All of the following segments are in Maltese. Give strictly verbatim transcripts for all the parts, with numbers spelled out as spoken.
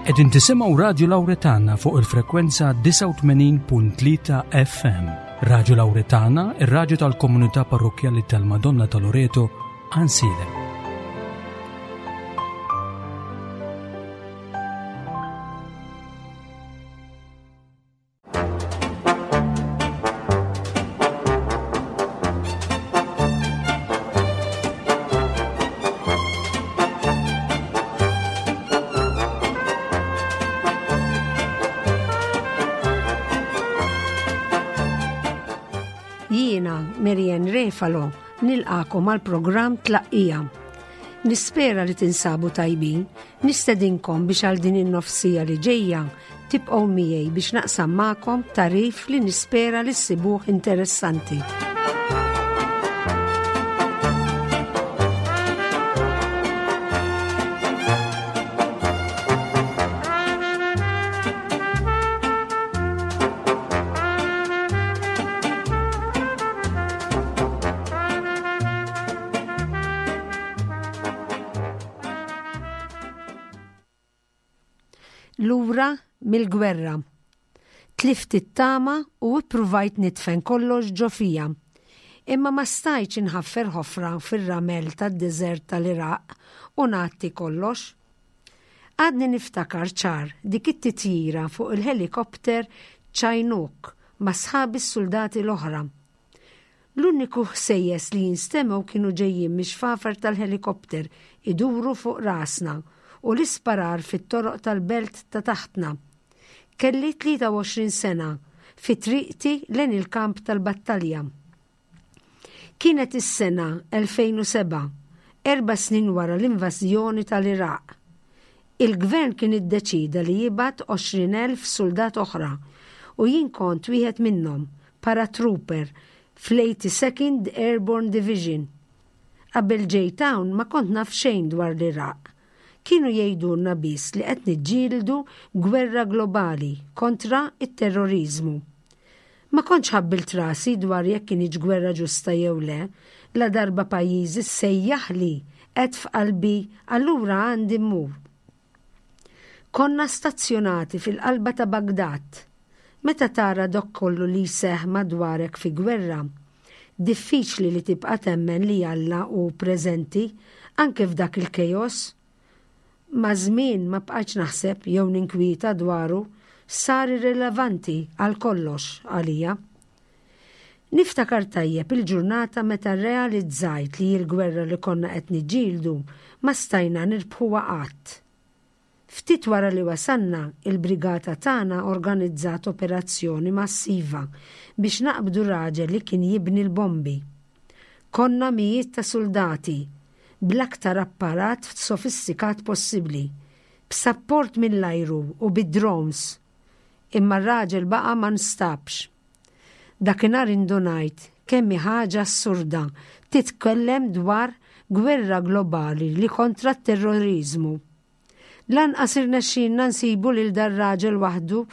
Qegħdin tisimgħu Radju Lawretana fuq il-frekwenza disgħa u tmenin punt tlieta F M. Radju Lawretana, ir-radju tal-Komunità Parrokkjali tal-Madonna ta' Loreto, Għajnsielem. Jiena, Marianne Refalo, nilqagħkom għal programm Tlaqqija. Nispera li tinsabu tajbin, nistedinkom biex għal din in-nofs siegħa li ġejja tibqgħu miegħi biex naqsam magħkom tagħrif li nispera li ssibuh interessanti. Lura mill-gwerra. Tlift it-tama u ippruvajt nidfen kollox ġo fija. Imma ma stajtx inħaffer ħofra fir-ramel tad-deżert tal-Iraq u ngħatti kollox. Għadni niftakar ċar dik it-titjira fuq il-helikopter Chinook ma' sħabi s-soldati l-oħra. L-uniku ħsejjes li jinstemgħu kienu ġejjin mix-xfafer tal-helikopter iduru fuq rasna u l-isparar fit-toroq tal-belt ta' taħtna. Kelli tlieta u għoxrin sena, fi triqti lejn il-kamp tal-battalja. Kienet is-sena elfejn u sebgħa, erba' snin wara l-invażjoni tal-Iraq. Il-gvern kien iddeċida li jibgħat għoxrin elf soldat oħra u jien kont wieħed minnhom, paratrooper fl-eighty-second Airborne Division. Qabel ġejt hawn ma kont naf xejn dwar l-Iraq. Kienu jgħidulna biss li qed niġġieldu gwerra globali kontra it-terrorizmu. Ma kontx ħabbilt rasi dwar jekk kinitx gwerra ġusta jew le, la darba pajjiżi sejjaħli, għedt f'qalbi, allura għandi mmur. Konna stazzjonati fil-qalba ta' Bagdad. Meta tara dak kollu li jseħħ madwarek fi gwerra, diffiċli li tibqa' temmen li Alla hu preżenti anke f'dak il-kejos. Maż-żmien ma bqajtx naħseb jew ninkwieta dwaru, sar irrelevanti għal kollox għalija. Niftakar tajjeb il-ġurnata meta realizzajt li l-gwerra li konna qed niġġieldu ma stajna nirbħuha qatt. Ftit wara li wasanna, il-brigata tagħna organizzat operazzjoni massiva biex naqbdu raġel li kien jibni l-bombi. Konna mijiet ta' soldati, bl-aktar apparat sofistikat possibbli, b'sapport mill-ajru u bid-drones. Imma r-raġel baqa' ma nstabx. Dakinhar indunajt kemm ħaġa assurda titkellem dwar gwerra globali li kontra t-terrorizmu. Lanqas irnexxinna nsibu lil dar-raġel waħdu,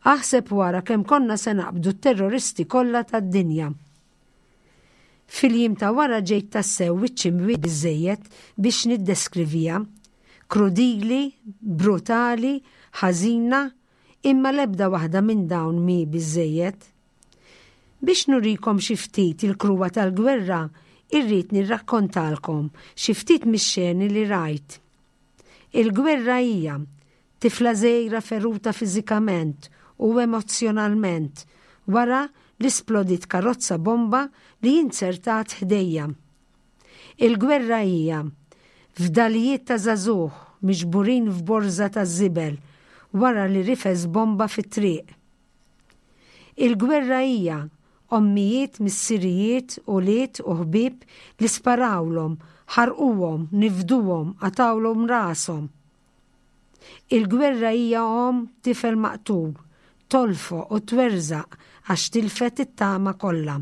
aħseb wara kemm konna se naqbdu t-terroristi kollha tad-dinja. Fil-jiem ta' wara ġejt tassew wiċċi biżejjed biex niddeskriviha. Krudili, brutali, ħażina, imma lebda waħda minn dawn mhi biżejjed. Biex nurikom xi ftit il-kruha tal-gwerra, irrid nirrakkontalkom xi ftit mix-xeni li rajt. Il-gwerra hija tifla żgħira feruta fiżikament u emozjonalment wara li splodit karozza bomba li inzertat ħdejja. Il-gwerra hija fdalijiet ta' żagħżugħ miġburin f'borza ta' żibel wara li rifes bomba fit-triq. Il-gwerra hija ommijiet, missirijiet, ulied u ħbieb li sparawlhom, ħarquhom, nifduhom, qatgħulhom rashom. Il-gwerra hija omm tifel maqtul, tolfoq u twerżaq għax tilfet it-tama kollha.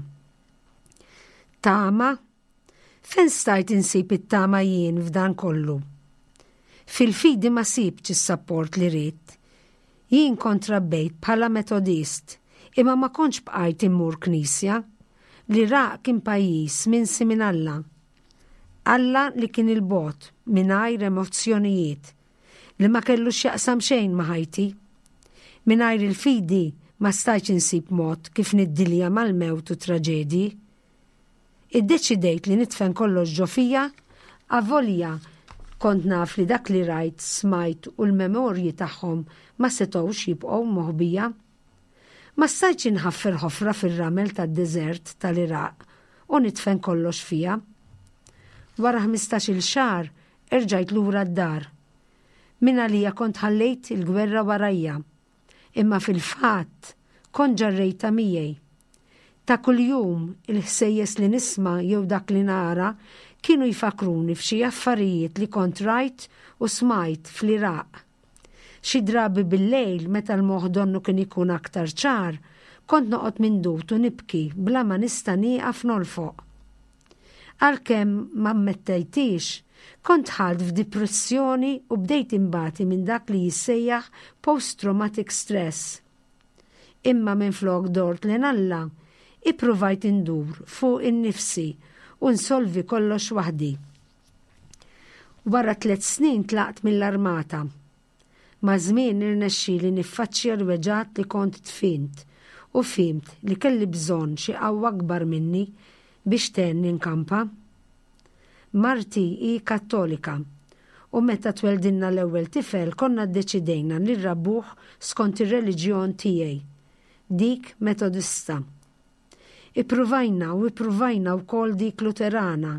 Tama? Fejn stajt insib it-tama jien f'dan kollu? Fil-fidi ma sibtx is-sapport li ridt. Jien kont trabbejt bħala Metodist, imma ma kontx bqajt immur knisja. L-Iraq kien pajjiż minsi minn Alla. Alla li kien 'il bogħod mingħajr emozzjonijiet. li ma kellu x'jaqsam xejn ma' ħajti. Mingħajr il-fidi ma stajtx insib mod kif niddilja mal-mewt u traġedji. Iddeċidejt li nidfen kollox ġo fija, avolja kont naf li dak li rajt, smajt u l-memorji tagħhom ma setgħux jibqgħu moħbija. Ma stajtx inħaffer ħofra fir-ramel tad-deżert tal-Iraq u nidfen kollox fija. Wara ħmistax-il xahar erġajt lura d-dar. Min għalija kont ħallejt il-gwerra warajja, imma fil-fatt kont ġarrejta miegħi. Ta' kuljum il-ħsejjes li nisma' jew dak li nara kienu jfakruni f'xi affarijiet li kont rajt u smajt fl-Iraq. Xi drabi bil-lejl meta l-moħħ donnu kien ikun aktar ċar, kont noqgħod mindut u nibki bla ma nista' nieqaf nolfoq. Għalkemm ma ammettejtix, kont dħalt f'depressjoni u bdejt imbati minn dak li jissejjaħ post-traumatic stress. Imma minflok dort lejn Alla, ippruvajt indur fuq innifsi u nsolvi kollox waħdi. Wara tliet snin tlaqt mill-armata. Maż-żmien irnexxieli niffaċċja l-weġgħat li kont dfint u fhimt li kelli bżonn xi qawwa akbar minni biex tgħinni nkampa. Marti hi Kattolika u meta tweldilna l-ewwel tifel konna ddeċidejna li nrabbuh skont ir-reliġjon tiegħi, dik Metodista. Ippruvajna u ippruvajna wkoll dik Luterana,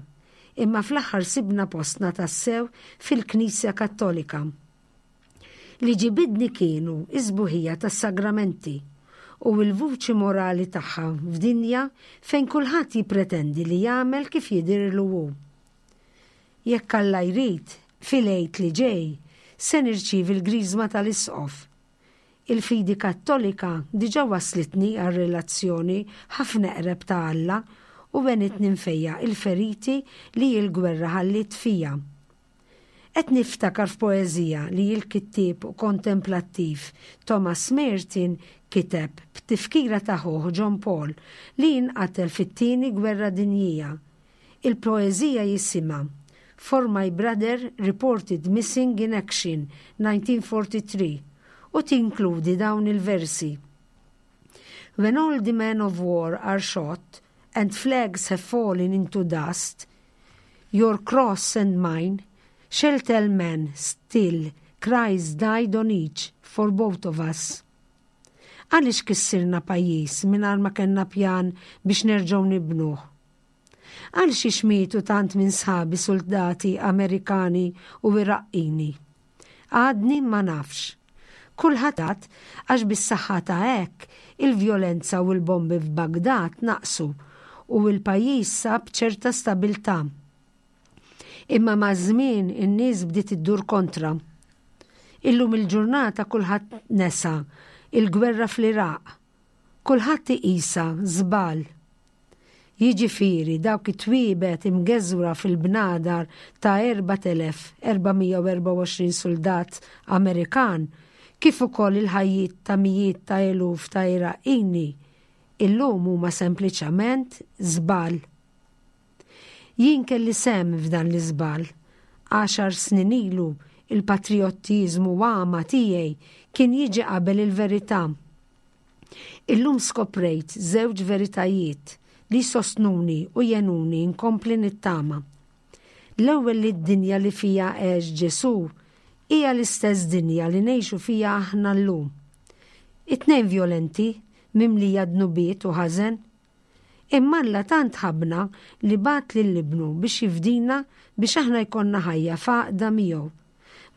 imma fl-aħħar sibna postna tassew fil-Knisja Kattolika. Li ġibidni kienu is-sbuħija tas-sagramenti u l-vuċi morali tagħha f'dinja fejn kulħadd jippretendi li jagħmel kif jidhirlu hu. Jekk Alla jrid, fil-Għid li ġej se nirċievi l-griżma tal-Isqof. Il-fidi Kattolika diġà waslitni għal relazzjoni ħafna eqreb ta' Alla u għenitni nfejjaq il-feriti li l-gwerra ħallit fija. Qed niftakar f'poeżija li l-kittieb u kontemplattiv Thomas Merton kiteb b'tifkira ta' ħuh John Paul li jinqatel fit-tieni gwerra dinjija. Il-poeżija jisimha For My Brother Reported Missing in Action nineteen forty-three u tinkludi dawn il-versi. When all the men of war are shot and flags have fallen into dust, your cross and mine shall tell men still Christ died on each for both of us. Għaliex kissirna pajjiż mingħajr ma kellna pjan biex nerġgħu nibnuh? Għalxiex mietu tant minn sħabi soldati Amerikani u Iraqqini? Għadni ma nafx. Kulħadd għax bis-saħħa ta' hekk il-vjolenza u l-bombi f'Bagdad naqsu u l-pajjiż sab ċerta stabiltà. Imma maż-żmien in-nies bdiet iddur kontra. Illum il-ġurnata kulħadd nesa il-gwerra fl-Iraq. Kulħadd iqisha żball. Jiġifieri dawk it-twiebet imgeżwra fil-bnadar ta' erbat elef erba' mija u erbgħa u għoxrin soldat Amerikan kif ukoll il-ħajjiet ta' mijiet ta' eluf ta' Iraqini illum huma sempliċament żball. Jien kelli sehem f'dan l-iżball. Għaxar snin ilu il-patriottiżmu għama tiegħi kien jiġi qabel il-verità. Illum skoprejt żewġ veritajiet li sostnuni u jgħinuni nkompli nittama. L-ewwel, li d-dinja li fija għex Ġesu hija l-istess dinja li ngħixu fija aħna llum. It-tnejn violenti, mimlija dnubiet u ħażen. Imma Alla tant ħabna li bagħat lil Ibnu biex jifdina biex aħna jkollna ħajja f'għaqda miegħu.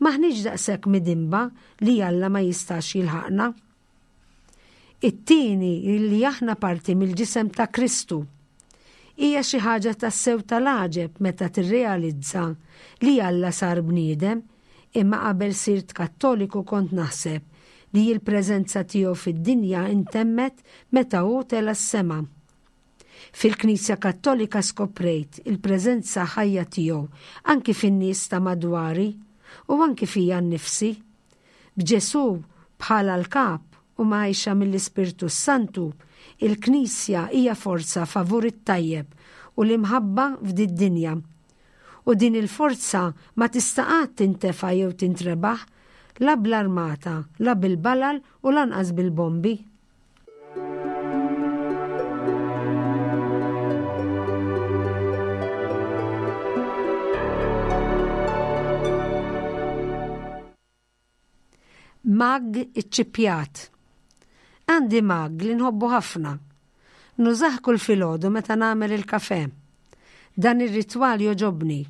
M'aħniex daqshekk midinba li Alla ma jistax jilħaqna. It-tieni, li aħna parti mill-ġisem ta' Kristu. Hija xi ħaġa tassew tal-għaġeb meta tirrealizza li Alla sar bniedem, imma qabel sirt Kattoliku kont naħseb li l-preżenza tiegħu fid-dinja intemmet meta hu tela' s-sema. Fil-Knisja Kattolika skoprejt il-preżenza ħajja tiegħu anki fin-nies ta' madwari u anki fija nnifsi. B'Ġesu bħala l-kap u mgħejxuna mill-Ispirtu Santu, il-Knisja hija forza favur it-tajjeb u l-imħabba f'did-dinja. U din il-forza ma tista' qatt tintefa jew tintrebaħ. La bl-armata, la bil-balal u lanqas bil-bombi. Mag iċ-ċipjat. Għandi mag li nħobbu ħafna. Nużah kull filgħodu meta nagħmel il-kafè. Dan ir-ritwal jogħġobni.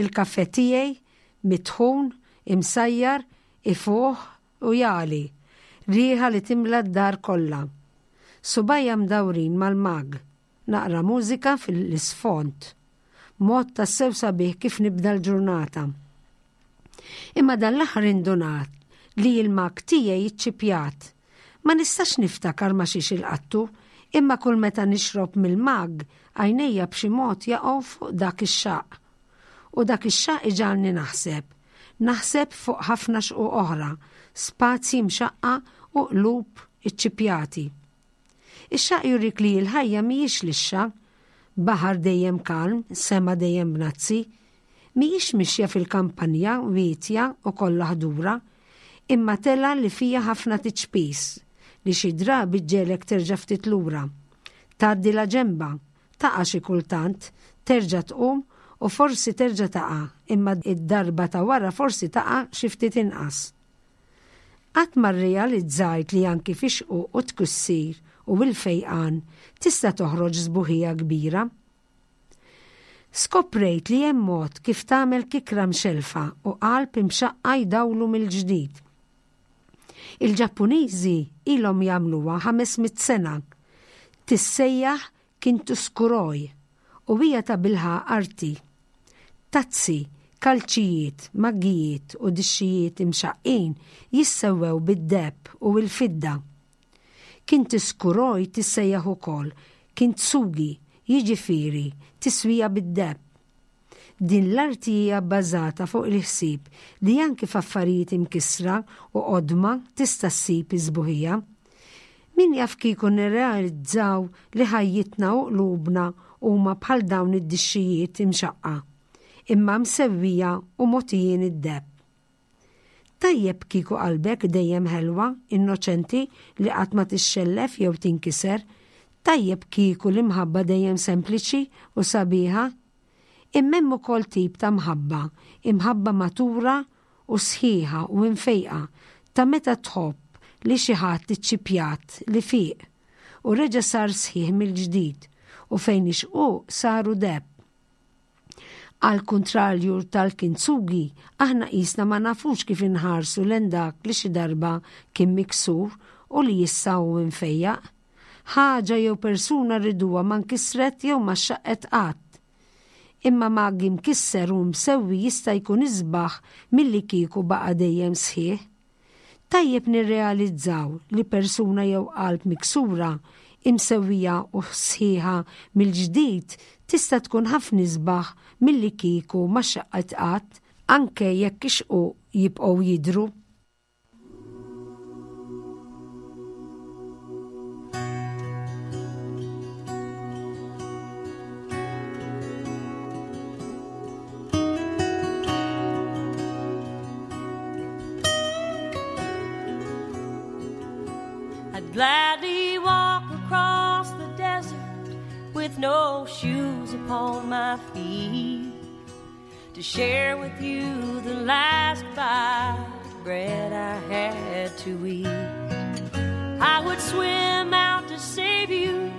Il-kafè tiegħi mitħun, imsajjar, ifuħ u jagħli. Riħa li timla d-dar kollha. Subgħajja mdawrin mal-mag. Naqra mużika fil-isfond. Mod tassew sabiħ kif nibda l-ġurnata. Imma dan l-aħħar indunat li l-mag tiegħi iċċipjat. Ma nistax niftakar ma xiex ilqattu, imma kull meta nixrob mill-mag għajnejja b'xi mod jaqgħu fuq dak ix-xaqq. U dak ix-xaqq iġagħalni naħseb. Naħseb fuq ħafna xquq oħra, spazji mxaqqa u qlub iċċipjati. Ix-xaqq jurik li l-ħajja mhijiex lixxa, baħar dejjem kalm, sema dejjem bnazzi, mhijiex mixja fil-kampanja wietja u kollha ħdura, imma tela li fija ħafna tiċpis, li xi drabi ġġegħlek terġa' ftit lura. Tgħaddi la ġemba, taqa' xi kultant, terġa' tqum u forsi terġa' taqa', imma id-darba ta' wara forsi taqa' xi ftit inqas. Qatt ma rrealizzajt li anki fix-xquq u tkussir u l-fejqan tista' toħroġ sbuħija kbira. Skoprejt li hemm mod kif tagħmel kikra mxelfa u qalb imxaqqa jdawlu mill-ġdid. Il-Ġappuniżi ilhom jagħmluha ħames mitt sena. Tissejjaħ kintsukuroi u hija ta' bilħaqq arti. Tazzi, kalċijiet, maggijiet u dixxijiet imxaqqin jissewwew bid-deheb u l-fidda. Kintsukuroi tissejjaħ ukoll kintsugi, jiġifieri tiswija bid-deheb. Din l-arti hija bbażata fuq il-ħsieb li anki f'affarijiet imkissra u qodma tista' ssib iż-sbuħija. Min jaf kieku nirrealizzaw li ħajjitna u qlubna huma bħal dawn id-dixxijiet imxaqqa, imma msewwija u mogħtijin id-deheb. Tajjeb kieku qalbek dejjem ħelwa, innoċenti li qatt ma tixxellef jew tinkiser. Tajjeb kieku l-imħabba dejjem sempliċi u sabiħa. Imma hemm ukoll tip ta' mħabba, imħabba matura u sħiħa u imfejqa ta' meta tħobb li xi ħadd iċċipjat li fiq u reġa' sar sħiħ mill-ġdid u fejn ix-xquq saru deheb. Għal kontrarju tal-kintsugi, aħna qisna ma nafux kif inħarsu lejn dak li xi darba kien miksur u li issa hu imfejjaq. Ħaġa jew persuna rriduha ma nkisret jew ma xaqet qatt. Imma mag imkisser u msewwi jista' jkun isbaħ milli kieku baqa' dejjem sħiħ. Tajjeb nirrealizzaw li persuna jew qalb miksura imsewwija u sħiħa mill-ġdid tista' tkun ħafna isbaħ milli kieku ma xaqet qatt, anke jekk ix-xquq jibqgħu jidhru. I'd gladly walk across the desert with no shoes upon my feet to share with you the last bite of bread I had to eat. I would swim out to save you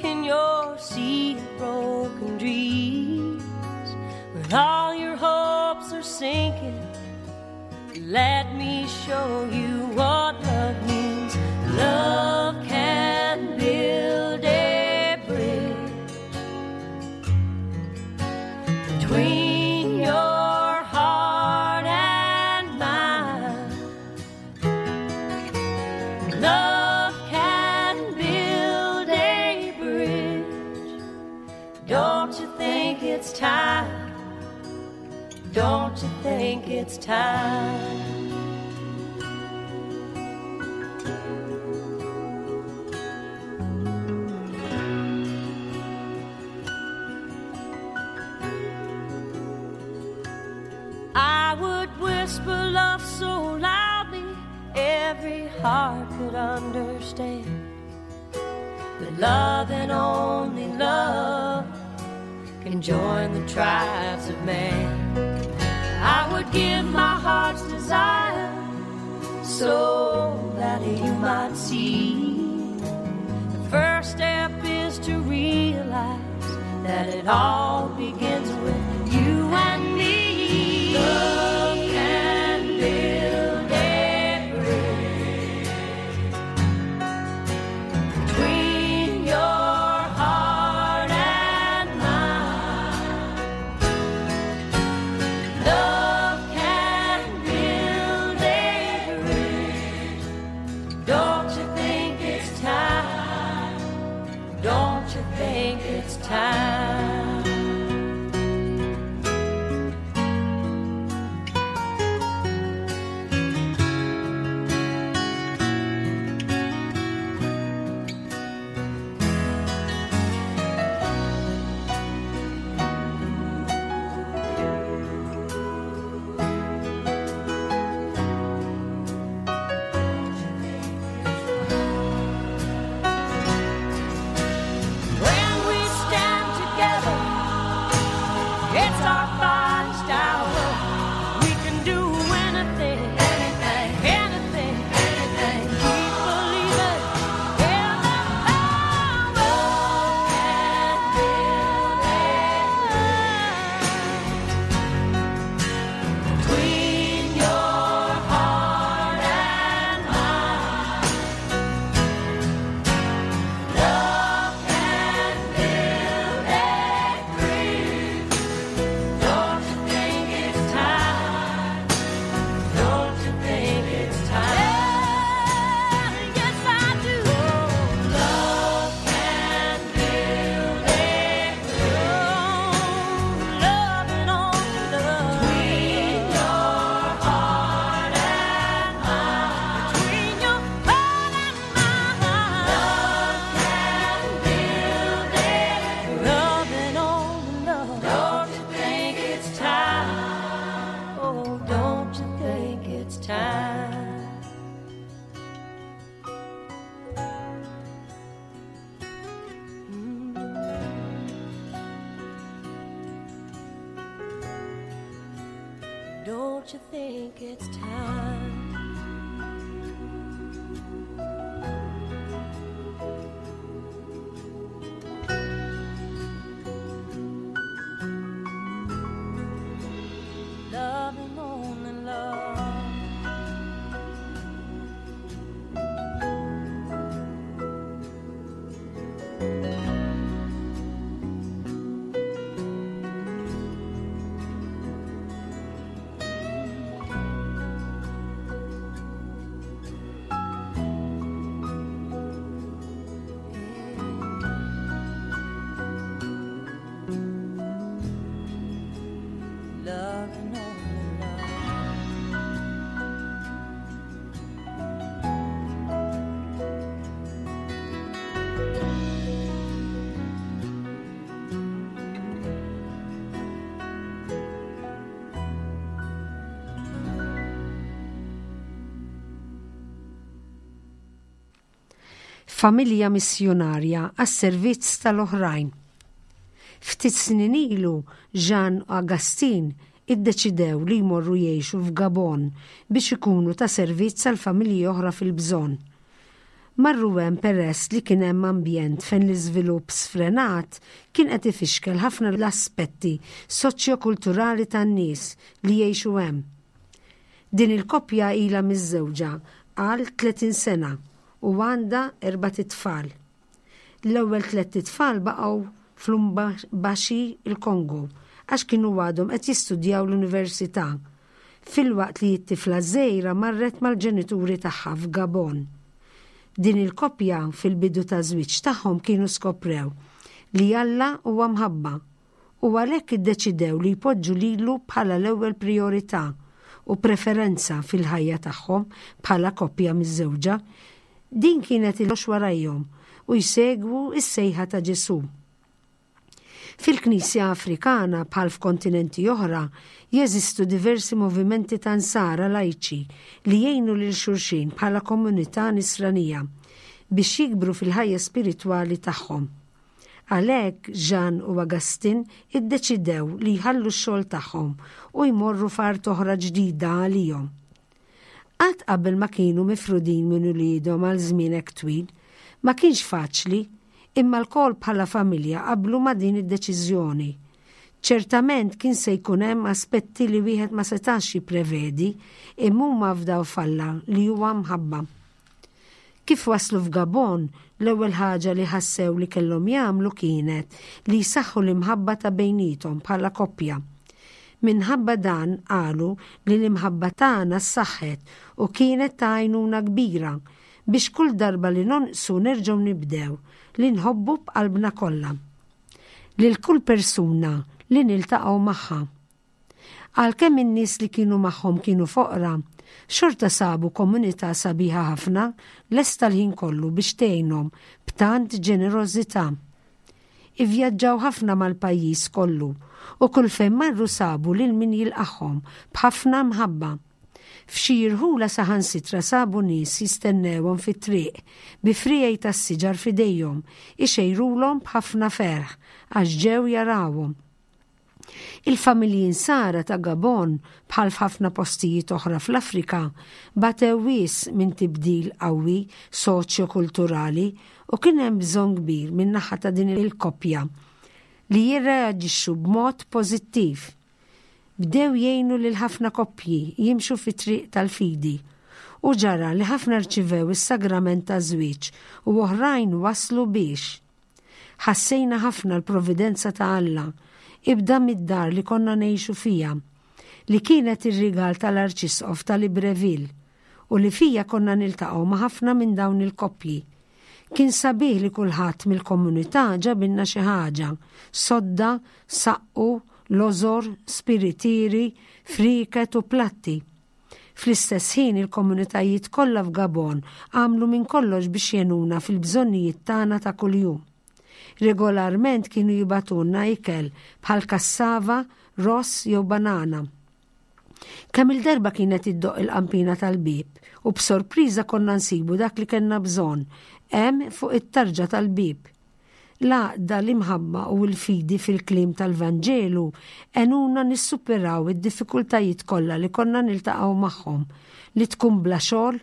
in your sea of broken dreams. When all your hopes are sinking, let me show you what love means. Love can build a bridge between your heart and mine. Love can build a bridge. Don't you think it's time? Don't you think it's time? I would whisper love so loud every heart could understand that love and only love can join the tribes of man. I would give my heart's desire so that you might see. The first step is to realize that it all begins with you and me. Love can build a bridge between your heart and mine. Love can build a bridge. Don't you think it's time? Don't you think it's time? When we stand together, it's our finest hour. We can do anything, anything, anything, anything. Keep believing in the power. Can build a bridge between your heart and mine. Love can build a bridge. Don't you think it's time? Don't you think it's time? Yes, I do. Love can build a bridge. Love and only love between your heart and mine. Between your heart and mine. Love can build a love and only love. Don't you think it's time? Oh, don't you think it's time? Don't you think it's time? Love and only love. Love and only love. Familja missjonarja għas-servizz tal-oħrajn. Ftit snin ilu Jean Augustin iddeċidew li jmorru jgħixu f'Gabon biex ikunu ta' servizz għal familji oħra fil-bżonn. Marru hemm peress li kien hemm ambjent fejn l-iżvilupp sfrenat kien qed ifixkel ħafna l-aspetti soċjokulturali tan-nies li jgħixu hemm. Din il-koppja ilha miżżewġa għal tletin sena u għandha erbat itfal. L-ewwel tliet itfal baqgħu f'Lubumbashi il-Kongo għax kienu għadhom qed jistudjaw l-università, filwaqt li t-tifla żgħira marret mal-ġenituri tagħha f'Gabon. Din il-koppja fil-bidu ta' żwieġ tagħhom kienu skoprew li Alla huwa mħabba u għalhekk iddeċidew li jpoġġu lilu bħala l-ewwel priorità u preferenza fil-ħajja tagħhom bħala koppja miżżewġa. Din kienet il warajhom u jsegwu s-sejħa ta' Ġesù. Fil-Knisja Afrikana bħal f'kontinenti oħra jeżistu diversi movimenti ta' nsara lajċi li jgħinu lil xulxin bħala komunità nisranija biex jikbru fil-ħajja spiritwali tagħhom. Għalhekk Jean u Augustin iddeċidew li jħallu x-xogħol tagħhom u jmorru f'art oħra ġdida għalihom. Qatt qabel ma kienu mifrudin minn uliedhom għal żmien hekk twil, ma kienx faċli, imma lkoll bħala familja qablu ma' din id-deċiżjoni. Ċertament kien se jkun hemm aspetti li wieħed ma setax jipprevedi, imma huma fdaw f'Alla li huwa mħabba. Kif waslu f'Gabon, l-ewwel ħaġa li ħassew li kellhom jagħmlu kienet li jsaħħu l-imħabba ta' bejniethom bħala koppja. Minħabba dan qalu li l-imħabba tagħna ssaħħet u kienet ta' għajnuna kbira biex kull darba li nonqsu nerġgħu nibdew li nħobbu b'qalbna kollha. Lil kull persuna li niltaqgħu magħha. Għalkemm in-nies li kienu magħhom kienu foqra, xorta sabu komunità sabiħa ħafna lesta l-ħin kollu biex tgħinhom b'tant ġenerożità. Ivvjaġġaw ħafna mal-pajjiż kollu u kull fejn marru sabu lil min jilqagħhom b'ħafna mħabba. F'xi rħula saħansitra sabu nies jistennewhom fit-triq bi friegħi tas-siġar f'idejhom ixejrulhom b'ħafna ferħ għax ġew jarawhom. Il-familji nsara ta' Gabon bħal f'ħafna postijiet oħra fl-Afrika batew wisq minn tibdil qawwi soċjo-kulturali u kien hemm bżonn kbir min naħa ta' din il-koppja li jirreaġixxu b'mod pożittiv. Bdew jgħinu lil ħafna koppji jimxu fit-triq tal-fidi u ġara li ħafna rċivew is-sagrament taż-żwieġ u oħrajn waslu biex. Ħassejna ħafna l-providenza ta' Alla ibda mid-dar li konna ngħixu fija, li kienet ir-rigal tal-Arċisqof tal-Libreville u li fija konna niltaqgħu ma' ħafna minn dawn il-koppji. Kien sabiħ li kulħadd mill-komunità ġabilna xi ħaġa, sodda, saqqu, lożor, spiritieri, friket u platti. Fl-istess ħin il-komunitajiet kollha f'Gabon għamlu minn kollox biex jgħinuna fil-bżonnijiet tagħna ta' kuljum. Regolarment kienu jibagħtulna ikel bħal kassava, ross jew banana. Kemm il-darba kienet iddoqq il-qampina tal-bib u b'sorpriża konna nsibu dak li kellna bżonn hemm fuq it-tarġa tal-bib. L-għaqda, l-imħabba u l-fidi fil-kliem tal-Vanġelu għenuna nissuperaw id-diffikultajiet kollha li konna niltaqgħu magħhom, li tkun bla xogħol,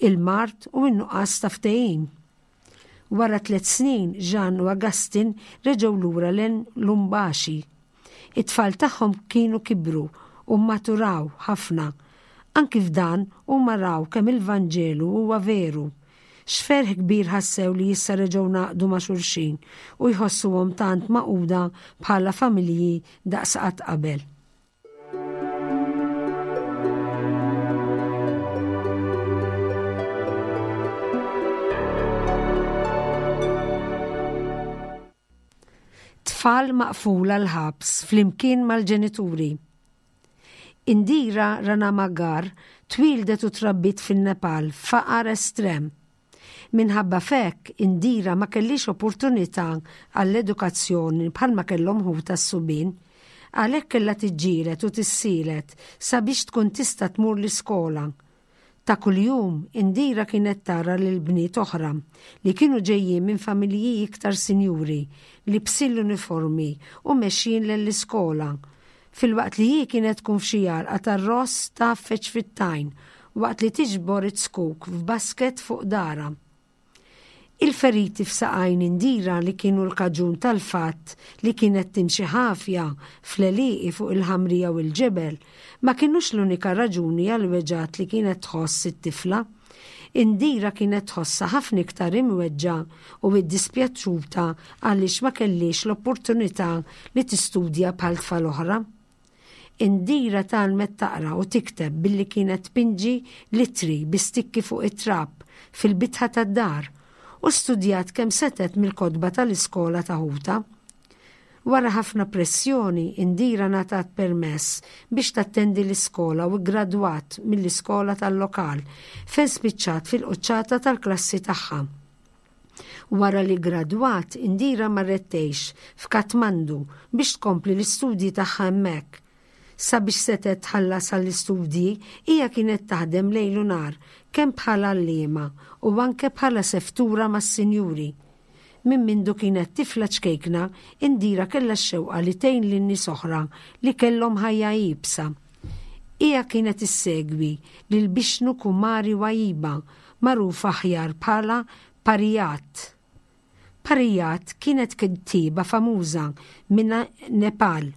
il-mard u n-nuqqas ta' ftehim. Wara tliet snin, Jean u Augustin reġgħu lura lejn Lubumbashi. It-tfal tagħhom kienu kibru u maturaw ħafna. Anki f'dan huma raw kemm il-Vanġelu huwa veru. X'ferħ kbir ħassew li issa reġgħu ngħaqdu ma' xulxin u jħossuhom tant magħquda bħala familji daqs qatt qabel. Tfal maqfula l-ħabs flimkien mal-ġenituri. Indira Ranamagar twildet u trabbit fin-Nepal f'faqar estrem. Minħabba f'hekk, Indira ma kellix opportunità għall-edukazzjoni bħalma kellhom ħuta s-subien, għalhekk kellha tiġġieled u tissielet sabiex tkun tista' tmur l-iskola. Ta' kuljum Indira kienet tara lil bniet oħra li kienu ġejjin minn familji iktar sinjuri li bsin l-uniformi u mexjin lill-iskola, filwaqt li hi kienet tkun f'xi għalqa tar-ross tgħaffeġ fit-tajn waqt li tiġbor it-skuk f'basket fuq dara. Il-feriti f'saqajn Indira li kienu l-kaġun tal-fatt li kienet timxi ħafja fl-għelieqi fuq il-ħamrija u l-ġebel ma kinux l-unika raġuni għal weġgħat li kienet tħoss it-tifla. Indira kienet tħossha ħafna iktar imweġġa u iddispjaċuta għaliex ma kellix l-opportunità li tistudja bħal tfal oħra. Indira tgħallmet taqra u tikteb billi kienet tpinġi litri bi stikki fuq it-trab fil-bitħa tad-dar u studjat kemm setet mill-kotba tal-iskola ta' ħuta. Wara ħafna pressjoni, Indira ngħatat permess biex tattendi l-iskola u ggradwat mill-iskola tal-lokal fejn spiċċat fil-quċċata tal-klassi tagħha. Wara li gradwat, Indira marret tgħix f'Katmandu biex tkompli l-istudji tagħha hemmhekk. Sabiex setgħet tħallas għall-istudji, hija kienet taħdem lejl u nhar kemm bħala għalliema u anke bħala seftura mas-sinjuri. Minn mindu kienet tifla ċkejkna, Indira kellha x-xewqa li tgħin lin nies oħra li kellhom ħajja iebsa. Hija kienet issegwi lil Bishnu Kumari Wajiba, magħruf aħjar bħala Parijat. Parijat kienet kittieba famuża minn Nepal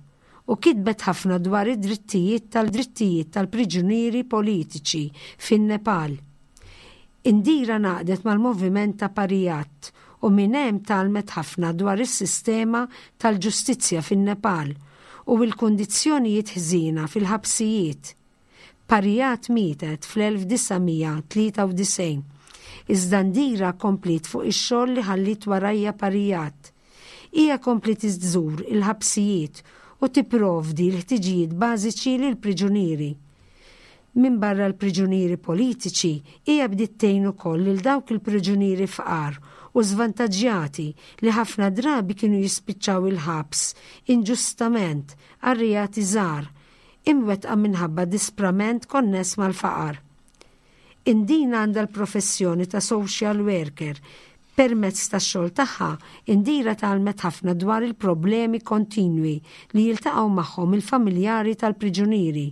u kitbet ħafna dwar id-drittijiet tal-drittijiet tal-priġunieri politiċi fin-Nepal. Indira ngħaqdet mal-moviment ta' Parijat u minn hemm tgħallmet ħafna dwar is-sistema tal-ġustizzja fin-Nepal u l-kundizzjonijiet ħżiena fil-ħabsijiet. Parijat mietet fl-elf disa' mija tlieta u disgħin. Iżda Indira kompliet fuq ix-xogħol li ħallit warajja Parijat. Hija kompliet iżżur il-ħabsijiet u tipprovdi l-ħtiġijiet bażiċi lil priġunieri. Min barra l-priġunieri politiċi, hija bdiet tgħin ukoll lil dawk il-priġunieri fqar u żvantaġġjati li ħafna drabi kienu jispiċċaw il-ħabs inġustament għal reati żgħar, imwettqa minħabba disprament konness mal-faqar. Indira għandha l-professjoni ta' social worker. Permezz tax-xogħol tagħha, Indira tgħallmet ħafna dwar il-problemi kontinwi li jiltaqgħu magħhom il-familjari tal-priġunieri.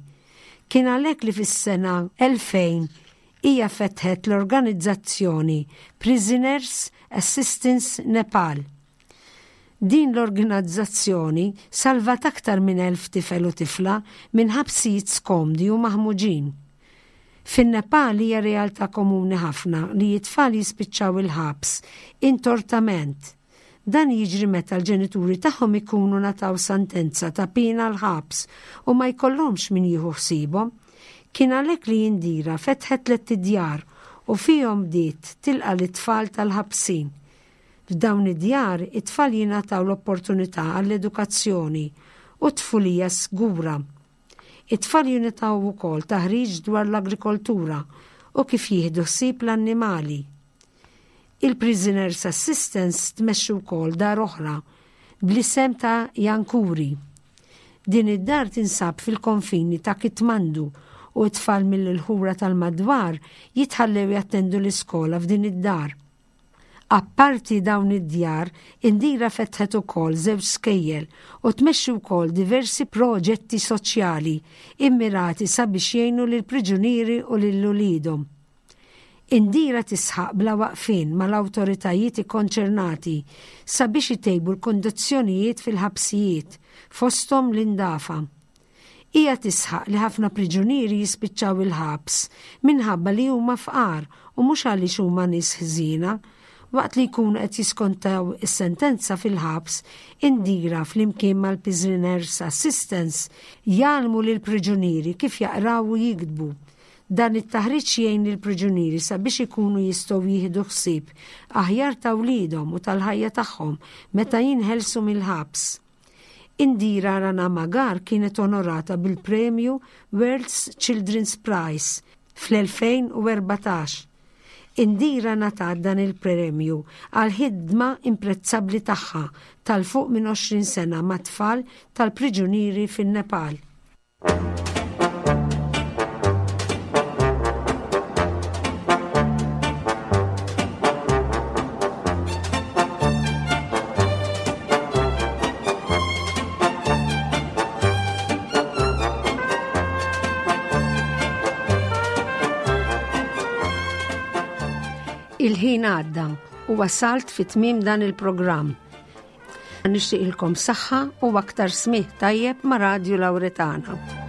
Kien għalhekk li fis-sena elfejn hija fetħet l-organizzazzjoni Prisoners Assistance Nepal. Din l-organizzazzjoni salvat aktar minn elf tifel u tifla minn ħabsijiet skomdi u maħmuġin. Fin-Nepal hija realtà komuni ħafna li t-tfal jispiċċaw il-ħabs intortament. Dan jiġri meta l-ġenituri tagħhom ikunu ngħataw sentenza ta' pina l-ħabs u ma jkollhomx min jieħu ħsiebhom. Kien għalhekk li Indira fetħet tliet djar u fihom bdiet tilqa' l-tfal tal-ħabsin. F'dawn id-djar it-tfal jingħataw l-opportunità għall-edukazzjoni u tfulija sgura. It-tfal jingħataw ukoll taħriġ dwar l-agrikoltura u kif jieħdu ħsieb l-annimali. Il-Prisoners Assistance tmexxi wkoll dar oħra bl-isem ta' Jankuri. Din id-dar tinsab fil-konfini ta' Kitmandu u t-tfal mill-ħura tal-madwar jitħallew jattendu l-iskola f'din id-dar. Apparti dawn id-djar, Indira fetħet ukoll żewġ skejjel u tmexxi wkoll diversi proġetti soċjali immirati sabiex jgħinu lill-priġunieri u lil uliedhom. Indira tisħaq bla waqfien mal-awtoritajiet ikkonċernati sabiex itejbu l-kondizzjonijiet fil-ħabsijiet fosthom l-indafa. Hija tisħaq li ħafna priġunieri jispiċċaw il-ħabs minħabba li huma fqar u mhux għaliex huma nies ħżiena. Waqt li jkunu qed jiskontaw is-sentenza fil-ħabs, Indira flimkien mal-Prisoners Assistance jgħallmu lill-priġunieri kif jaqraw u jiktbu. Dan it-taħriġ jgħin lill-priġunieri sabiex ikunu jistgħu jieħdu ħsieb aħjar ta' wliedhom u tal-ħajja tagħhom meta jinħelsu mill-ħabs. Indira Rana Magar kienet onorata bil-premju World's Children's Prize fl-elfejn u erbatax. Indira ngħatat dan il-premju għal ħidma imprezzabbli tagħha tal-fuq minn għoxrin sena ma' tfal tal-priġunieri fin-Nepal. Il-ħin għadda u wasalt fi tmiem dan il-programm. Nixtieqilkom saħħa u aktar smigħ tajjeb ma' Radio Lauretana.